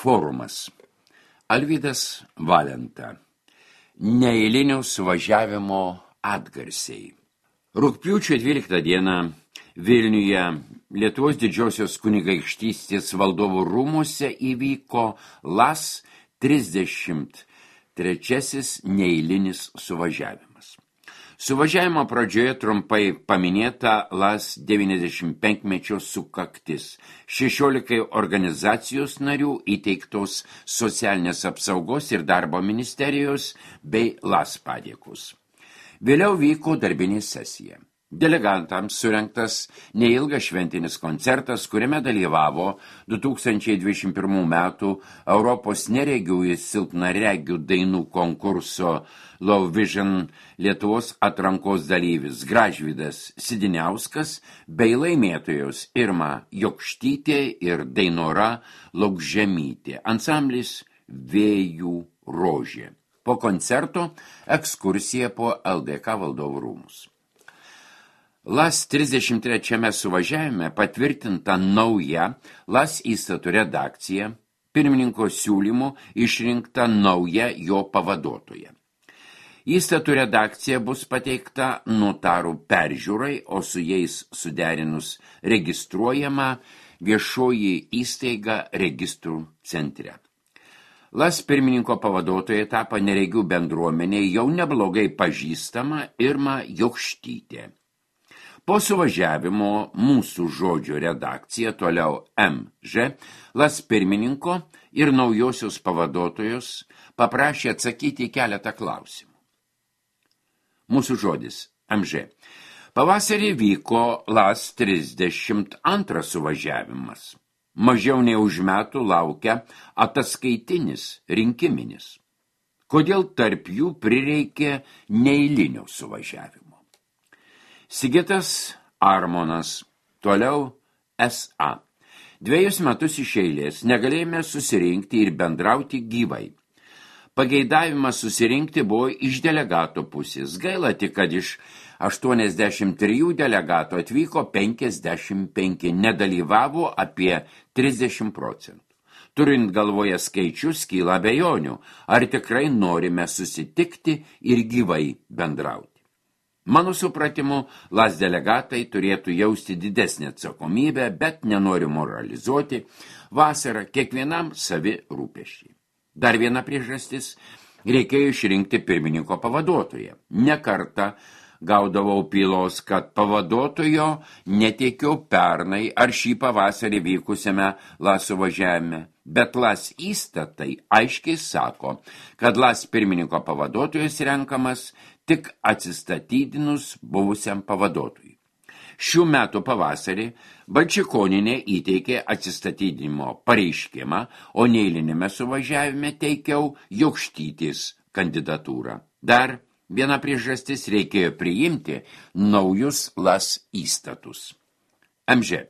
Forumas. Alvydas Valenta. Neeilinio suvažiavimo atgarsiai. Rugpjūčio 12 dieną Vilniuje Lietuvos didžiosios kunigaikštystės valdovų rūmuose įvyko LAS 33 neeilinis suvažiavimas. Suvažiavimo pradžioje trumpai paminėta LAS 95-mečio sukaktis, 16 organizacijos narių įteiktos socialinės apsaugos ir darbo ministerijos bei LAS padėkos. Vėliau vyko darbinė sesija. Delegantams surengtas neilgas šventinis koncertas, kuriame dalyvavo 2021 metų Europos neregių ir silpnaregių dainų konkurso Low Vision Lietuvos atrankos dalyvis Gražvydas Sidiniauskas bei laimėtojos Irma Jokštytė ir Dainora Laukžemytė, ansamblis Vėjų rožė. Po koncerto ekskursija po LDK valdovų rūmus. LAS 33 suvažiavime patvirtinta nauja LAS įstatų redakcija, pirmininko siūlymu išrinkta nauja jo pavaduotoja. Įstatų redakcija bus pateikta notarų peržiūrai, o su jais suderinus registruojama viešoji įstaiga registrų centre. LAS pirmininko pavaduotoja tapo neregių bendruomenė jau neblogai pažįstama Irma Jokštytė. Po suvažiavimo Mūsų žodžio redakcija, toliau MŽ, LAS pirmininko ir naujosios pavaduotojos paprašė atsakyti į keletą klausimų. Mūsų žodis MŽ. Pavasarį vyko LAS 32 suvažiavimas. Mažiau nei už metų laukia ataskaitinis rinkiminis. Kodėl tarp jų prireikė neeilinio suvažiavimo? Sigitas Armonas, toliau SA. 2 metus iš eilės negalėjome susirinkti ir bendrauti gyvai. Pageidavimas susirinkti buvo iš delegato pusės. Gaila tik, kad iš 83 delegatų atvyko 55, nedalyvavo apie 30%. Turint galvoje skaičius, kyla abejonių, ar tikrai norime susitikti ir gyvai bendrauti. Mano supratimu, LAS delegatai turėtų jausti didesnį atsakomybę, bet nenoriu moralizuoti, vasarą kiekvienam savi rūpesčiai. Dar viena priežastis – reikėjo išrinkti pirmininko pavaduotoją. Ne kartą gaudavau pylos, kad pavaduotojo neteikiau pernai ar šį pavasarį vykusiame LAS suvažiavime, bet LAS įstatai aiškiai sako, kad LAS pirmininko pavaduotojas renkamas tik atsistatydinus buvusiam pavaduotojui. Šių metų pavasarį Balčikonienė įteikė atsistatydinimo pareiškimą, o neeilinėme suvažiavime teikiau Jokštytės kandidatūrą. Dar viena priežastis, reikėjo priimti naujus LAS įstatus. MŽ.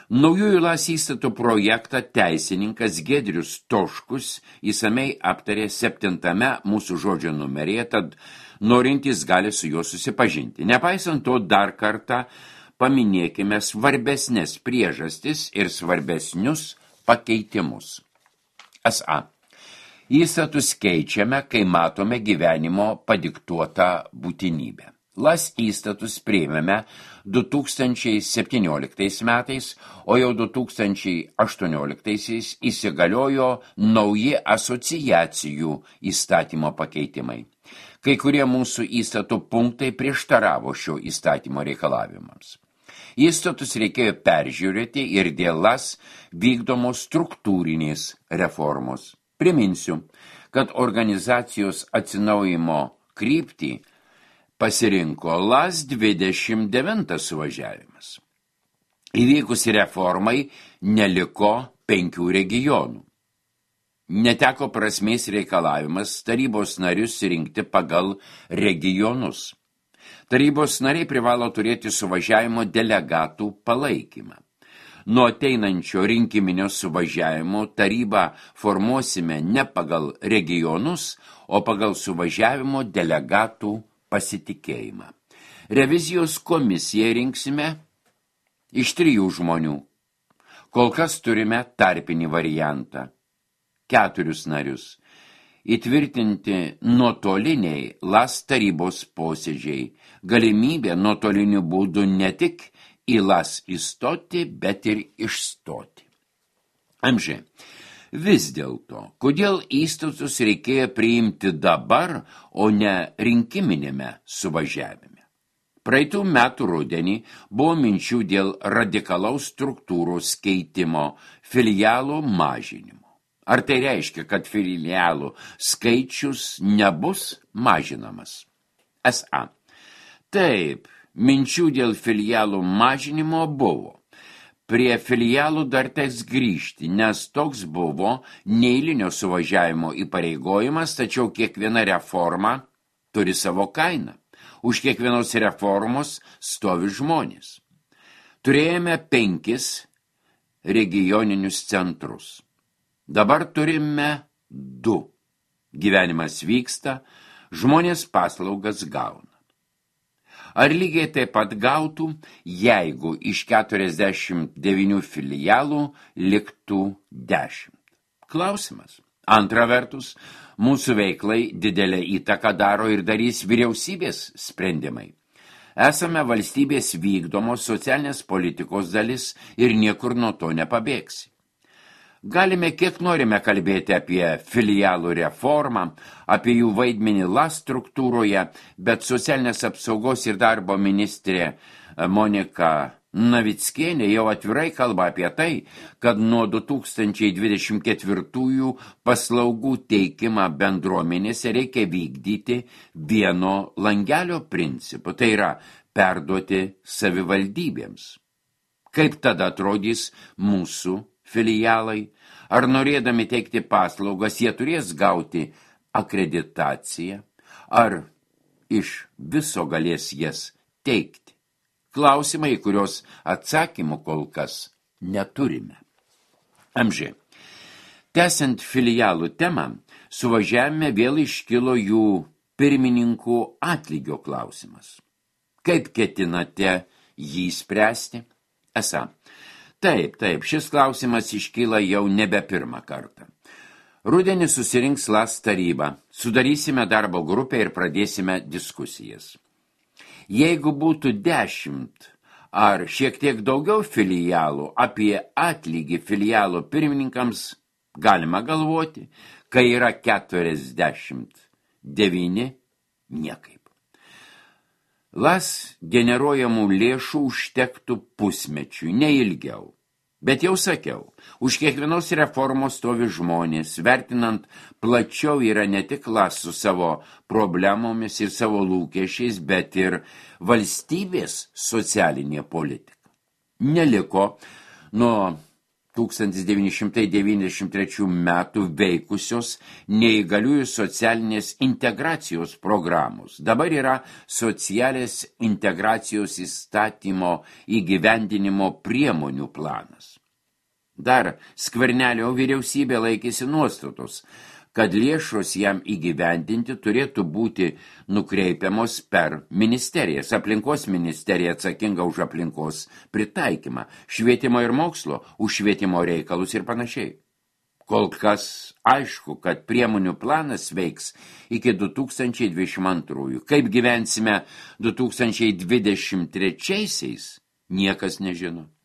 Naujųjų LAS įstatų projektą teisininkas Giedrius Toškus įsamei aptarė 7 Mūsų žodžio numeryje, tad norintys gali su juo susipažinti. Nepaisant to, dar kartą paminėkime svarbesnės priežastis ir svarbesnius pakeitimus. SA. Įstatus keičiame, kai matome gyvenimo padiktuotą būtinybę. LAS įstatus priėmėme 2017 metais, o jau 2018 įsigaliojo nauji asociacijų įstatymo pakeitimai. Kai kurie mūsų įstatų punktai prieštaravo šio įstatymo reikalavimams. Įstatus reikėjo peržiūrėti ir dėl LAS vykdomos struktūrinės reformos. Priminsiu, kad organizacijos atsinaujimo kryptį pasirinko LAS 29 suvažiavimas. Įvykus reformai neliko 5 regionų. Neteko prasmės reikalavimas tarybos narius rinkti pagal regionus. Tarybos nariai privalo turėti suvažiavimo delegatų palaikymą. Nuo ateinančio rinkiminio suvažiavimo tarybą formuosime ne pagal regionus, o pagal suvažiavimo delegatų pasitikėjimą. Revizijos komisiją rinksime iš 3 žmonių. Kol kas turime tarpinį variantą. 4 narius. Įtvirtinti nuotoliniai LAS tarybos posėdžiai, galimybė nuotoliniu būdu ne tik į LAS įstoti, bet ir išstoti. Amžiai, vis dėlto, kodėl įstatus reikėjo priimti dabar, o ne rinkiminėme suvažiavime? Praeitų metų rudenį buvo minčių dėl radikalaus struktūros keitimo, filialų mažinimo. Ar tai reiškia, kad filialų skaičius nebus mažinamas? S.A. Taip, minčių dėl filialų mažinimo buvo. Prie filialų dar teks grįžti, nes toks buvo neeilinio suvažiavimo įpareigojimas, tačiau kiekviena reforma turi savo kainą. Už kiekvienos reformos stovi žmonės. Turėjome 5 regioninius centrus. Dabar turime 2. Gyvenimas vyksta, žmonės paslaugas gauna. Ar lygiai taip pat gautų, jeigu iš 49 filialų liktų 10? Klausimas. Antra vertus, mūsų veiklai didelę įtaką daro ir darys vyriausybės sprendimai. Esame valstybės vykdomos socialinės politikos dalis ir niekur nuo to nepabėgsi. Galime kiek norime kalbėti apie filialų reformą, apie jų vaidmenį LAS struktūroje, bet socialinės apsaugos ir darbo ministrė Monika Navickienė jau atvirai kalba apie tai, kad nuo 2024 paslaugų teikimą bendruomenėse reikia vykdyti vieno langelio principu, tai yra perduoti savivaldybėms. Kaip tada atrodys mūsų filialai? Ar norėdami teikti paslaugas, jie turės gauti akreditaciją? Ar iš viso galės jas teikti? Klausimai, kurios atsakymų kol kas neturime. Amžiai. Tęsiant filialų temą, suvažiavime vėl iškilo jų pirmininkų atlygio klausimas. Kaip ketinate jį spręsti? Esą. Taip, šis klausimas iškyla jau nebe pirmą kartą. Rudenį susirinks LAS taryba, sudarysime darbo grupę ir pradėsime diskusijas. Jeigu būtų 10 ar šiek tiek daugiau filialų, apie atlygį filialų pirmininkams galima galvoti, kai yra 49, niekaip. LAS generuojamų lėšų užtektų pusmečiui, neilgiau. Bet jau sakiau, už kiekvienos reformos stovi žmonės, vertinant plačiau yra ne tik LAS su savo problemomis ir savo lūkesčiais, bet ir valstybės socialinė politika. Neliko nuo 1993 metų veikusios neįgaliųjų socialinės integracijos programos. Dabar yra socialės integracijos įstatymo įgyvendinimo priemonių planas. Dar Skvernelio vyriausybė laikėsi nuostatos, kad lėšos jam įgyvendinti turėtų būti nukreipiamos per ministerijas. Aplinkos ministerija atsakinga už aplinkos pritaikymą, švietimo ir mokslo už švietimo reikalus ir panašiai. Kol kas aišku, kad priemonių planas veiks iki 2022. Kaip gyvensime 2023-aisiais, niekas nežino.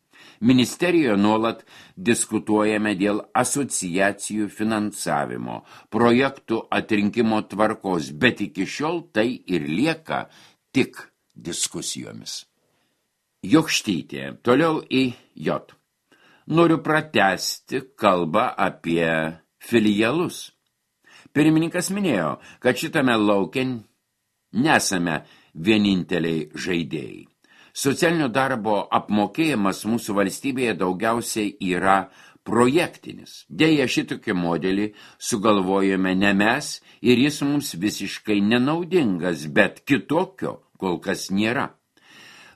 Ministerijoje nuolat diskutuojame dėl asociacijų finansavimo, projektų atrinkimo tvarkos, bet iki šiol tai ir lieka tik diskusijomis. Jokštytė, toliau į J. Noriu pratęsti kalbą apie filialus. Pirmininkas minėjo, kad šitame lauke nesame vieninteliai žaidėjai. Socialinio darbo apmokėjimas mūsų valstybėje daugiausiai yra projektinis. Deja, šitokį modelį sugalvojome ne mes ir jis mums visiškai nenaudingas, bet kitokio kol kas nėra.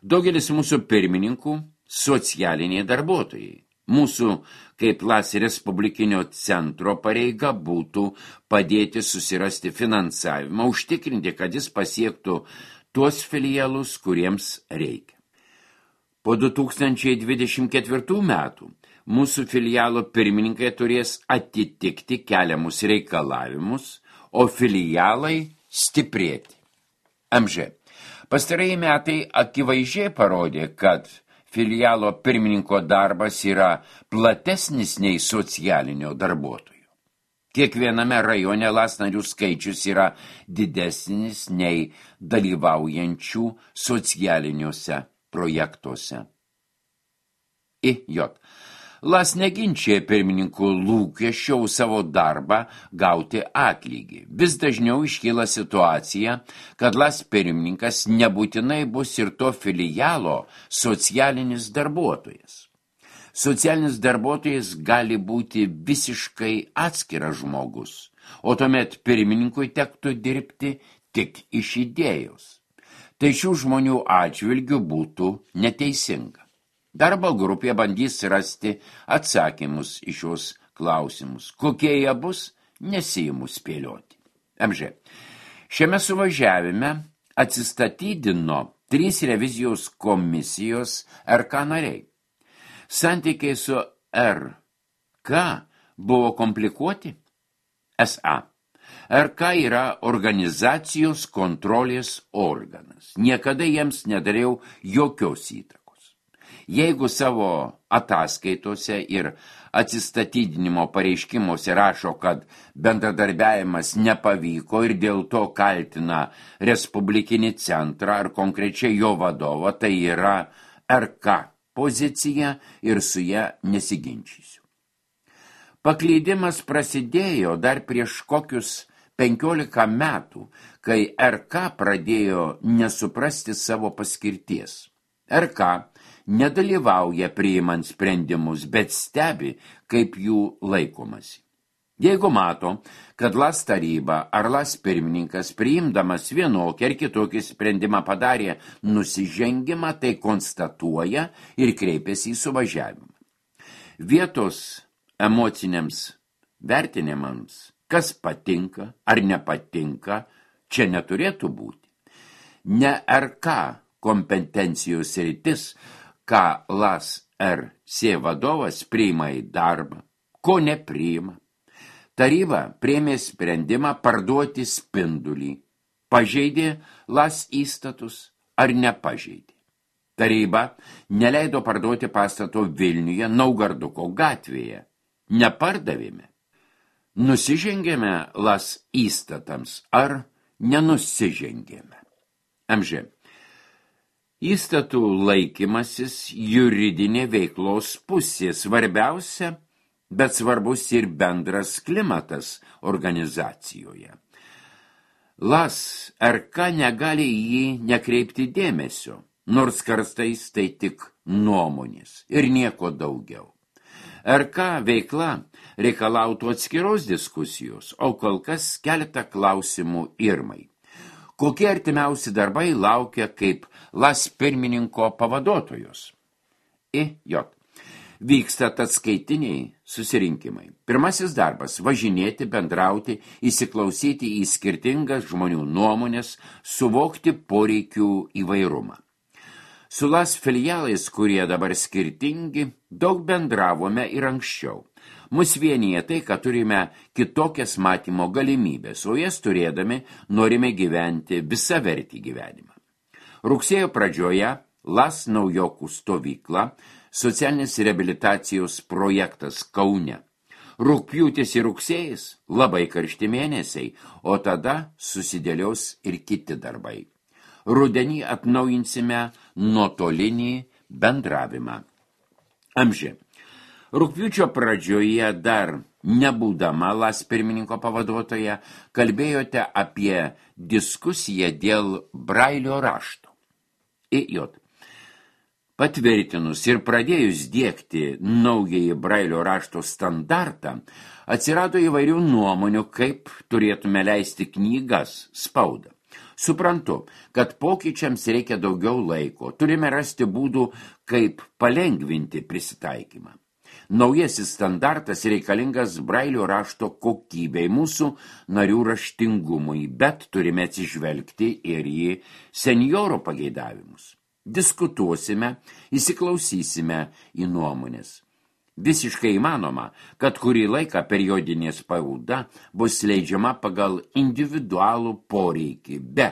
Daugelis mūsų pirmininkų socialiniai darbuotojai. Mūsų kaip LAS Respublikinio centro pareiga būtų padėti susirasti finansavimą, užtikrinti, kad jis pasiektų tuos filialus, kuriems reikia. Po 2024 metų mūsų filialo pirmininkai turės atitikti keliamus reikalavimus, o filialai stiprėti. MŽ. Pastarieji metai akivaizdžiai parodė, kad filialo pirmininko darbas yra platesnis nei socialinio darbuotojo. Kiekviename rajone LAS narių skaičius yra didesnis nei dalyvaujančių socialiniuose projektuose. IJ. LAS neginčia pirmininkų lūkesčio savo darbą gauti atlygį. Vis dažniau iškyla situacija, kad LAS pirmininkas nebūtinai bus ir to filialo socialinis darbuotojas. Socialinis darbuotojas gali būti visiškai atskiras žmogus, o tuomet pirmininkui tektų dirbti tik iš idėjos. Tai šių žmonių atžvilgių būtų neteisinga. Darbo grupė bandys rasti atsakymus į šios klausimus. Kokie jie bus, nesiimu spėlioti. MŽ. Šiame suvažiavime atsistatydino 3 revizijos komisijos RK nariai. Santykiai su RK buvo komplikuoti. SA. RK yra organizacijos kontrolės organas. Niekada jiems nedariau jokios įtakos. Jeigu savo ataskaitose ir atsistatydinimo pareiškimuose rašo, kad bendradarbiavimas nepavyko ir dėl to kaltina Respublikinį centrą ar konkrečiai jo vadovą, tai yra RK pozicija ir su ją nesiginčysiu. Paklydimas prasidėjo dar prieš kokius 15 metų, kai RK pradėjo nesuprasti savo paskirties. RK nedalyvauja priimant sprendimus, bet stebi, kaip jų laikomasi. Jeigu mato, kad LAS taryba ar LAS pirmininkas priimdamas vienokį ar kitokį sprendimą padarė nusižengimą, tai konstatuoja ir kreipiasi į suvažiavimą. Vietos emociniams vertinimams, kas patinka ar nepatinka, čia neturėtų būti. Ne RK kompetencijos sritis, ką LAS RC vadovas priima į darbą, ko nepriima. Taryba priėmė sprendimą parduoti Spindulį, pažeidė LAS įstatus ar nepažeidė. Taryba neleido parduoti pastato Vilniuje Naugarduko gatvėje. Nepardavėme. Nusižengėme LAS įstatams ar nenusižengėme. MŽ. Įstatų laikymasis juridinė veiklos pusė svarbiausia, bet svarbus ir bendras klimatas organizacijoje. LAS RK negali jį nekreipti dėmesio, nors kartais tai tik nuomonės ir nieko daugiau. RK veikla reikalautų atskiros diskusijos, o kol kas keletą klausimų Irmai. Kokie artimiausi darbai laukia kaip LAS pirmininko pavaduotojos? IJ. Vyksta atskaitiniai susirinkimai. Pirmasis darbas – važinėti, bendrauti, įsiklausyti į skirtingas žmonių nuomonės, suvokti poreikių įvairumą. Su LAS filialais, kurie dabar skirtingi, daug bendravome ir anksčiau. Mus vienyje tai, kad turime kitokias matymo galimybės, o jas turėdami norime gyventi visavertį gyvenimą. Rugsėjo pradžioje LAS naujokų stovykla, socialinės reabilitacijos projektas Kaune. Rugpjūtis ir rugsėjis labai karšti mėnesiai, o tada susidėlios ir kiti darbai. Rudenį atnaujinsime nuotolinį bendravimą. MŽ. Rugpjūčio pradžioje dar nebūdama LAS pirmininko pavaduotoja, kalbėjote apie diskusiją dėl Brailio rašto. IJ. Patvirtinus ir pradėjus diegti naująjį Brailio rašto standartą, atsirado įvairių nuomonių, kaip turėtume leisti knygas, spaudą. Suprantu, kad pokyčiams reikia daugiau laiko, turime rasti būdų, kaip palengvinti prisitaikymą. Naujasis standartas reikalingas Brailio rašto kokybei, mūsų narių raštingumui, bet turime atsižvelgti ir į senjorų pageidavimus. Diskutuosime, įsiklausysime į nuomonės. Visiškai įmanoma, kad kurį laiką periodinė spauda bus leidžiama pagal individualų poreikį, be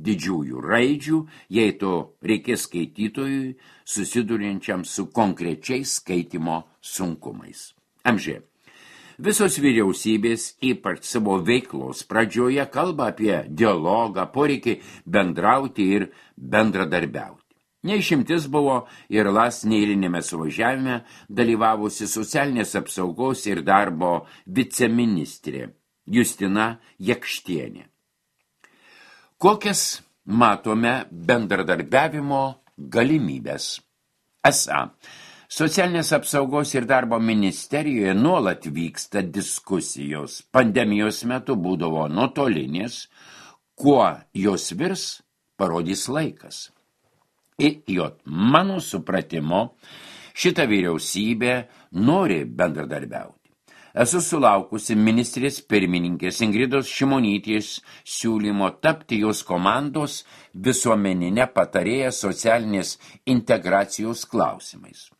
didžiųjų raidžių, jei to reikės skaitytojui susiduriančiam su konkrečiais skaitimo sunkumais. Amžė. Visos vyriausybės, ypač savo veiklos pradžioje, kalba apie dialogą, poreikį bendrauti ir bendradarbiauti. Neišimtis buvo ir LAS neeilinėme suvažiavime dalyvavusi socialinės apsaugos ir darbo viceministrė Justina Jakštienė. Kokias matome bendradarbiavimo galimybės? Esą, socialinės apsaugos ir darbo ministerijoje nuolat vyksta diskusijos. Pandemijos metu būdavo nuotolinės, kuo jos virs, parodys laikas. Mano supratimo, šita vyriausybė nori bendradarbiauti. Esu sulaukusi ministrės pirmininkės Ingridos Šimonytės siūlymo tapti jos komandos visuomeninę patarėją socialinės integracijos klausimais.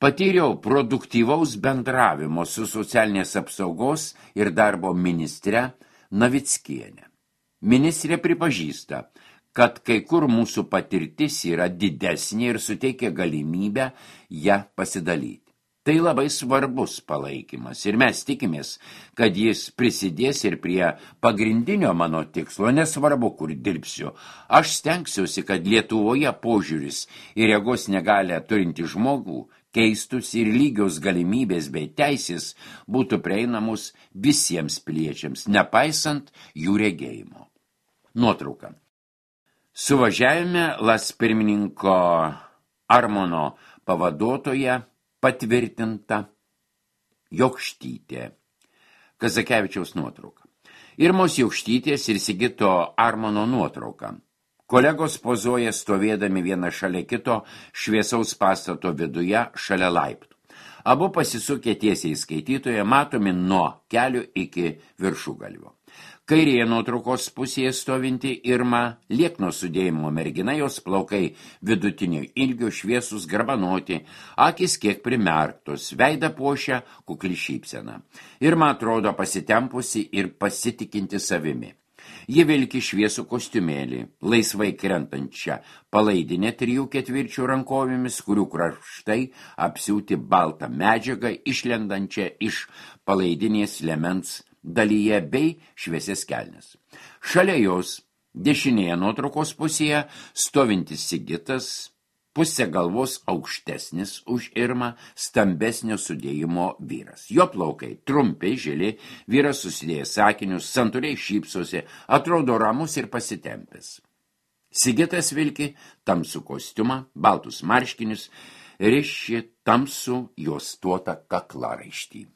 Patyriau produktyvaus bendravimo su socialinės apsaugos ir darbo ministre Navickiene. Ministrė pripažįsta, kad kai kur mūsų patirtis yra didesnė ir suteikia galimybę ją pasidalyti. Tai labai svarbus palaikymas ir mes tikimės, kad jis prisidės ir prie pagrindinio mano tikslo, nesvarbu, kur dirbsiu. Aš stengsiuosi, kad Lietuvoje požiūris į regos negalią turintį žmogų keistųsi ir lygios galimybės bei teisės būtų prieinamos visiems piliečiams, nepaisant jų regėjimo. Nuotrauka. Suvažiavime LAS pirmininko Armono pavaduotoja patvirtinta Jokštytė. Kazakevičiaus nuotrauka. Irmos Jokštytės ir Sigito Armono nuotrauka. Kolegos pozuoja stovėdami vieną šalia kito šviesaus pastato viduje šalia laiptų. Abu pasisukę tiesiai skaitytoje matomi nuo kelio iki viršugalvio. Kairėje nuotraukos pusėje stovinti Irma, liekno sudėjimo mergina, jos plaukai vidutinio ilgio, šviesus, garbanoti, akis kiek primerktos, veidą puošia kukli šypsena. Irma atrodo pasitempusi ir pasitikinti savimi. Ji vilki šviesų kostiumėlį, laisvai krentančią palaidinę 3/4 rankovėmis, kurių kraštai apsiūti baltą medžiagą išlendančią iš palaidinės liemens dalyje bei šviesias kelnes. Šalia jos dešinėje nuotraukos pusėje stovintis Sigitas, pusė galvos aukštesnis už Irmą, stambesnio sudėjimo vyras. Jo plaukai trumpi, žili, vyras susidėjęs sakinius, santūriai šypsosi, atrodo ramus ir pasitempęs. Sigitas vilki tamsų kostiumą, baltus marškinius, riši tamsų juostuotą kaklaraištį.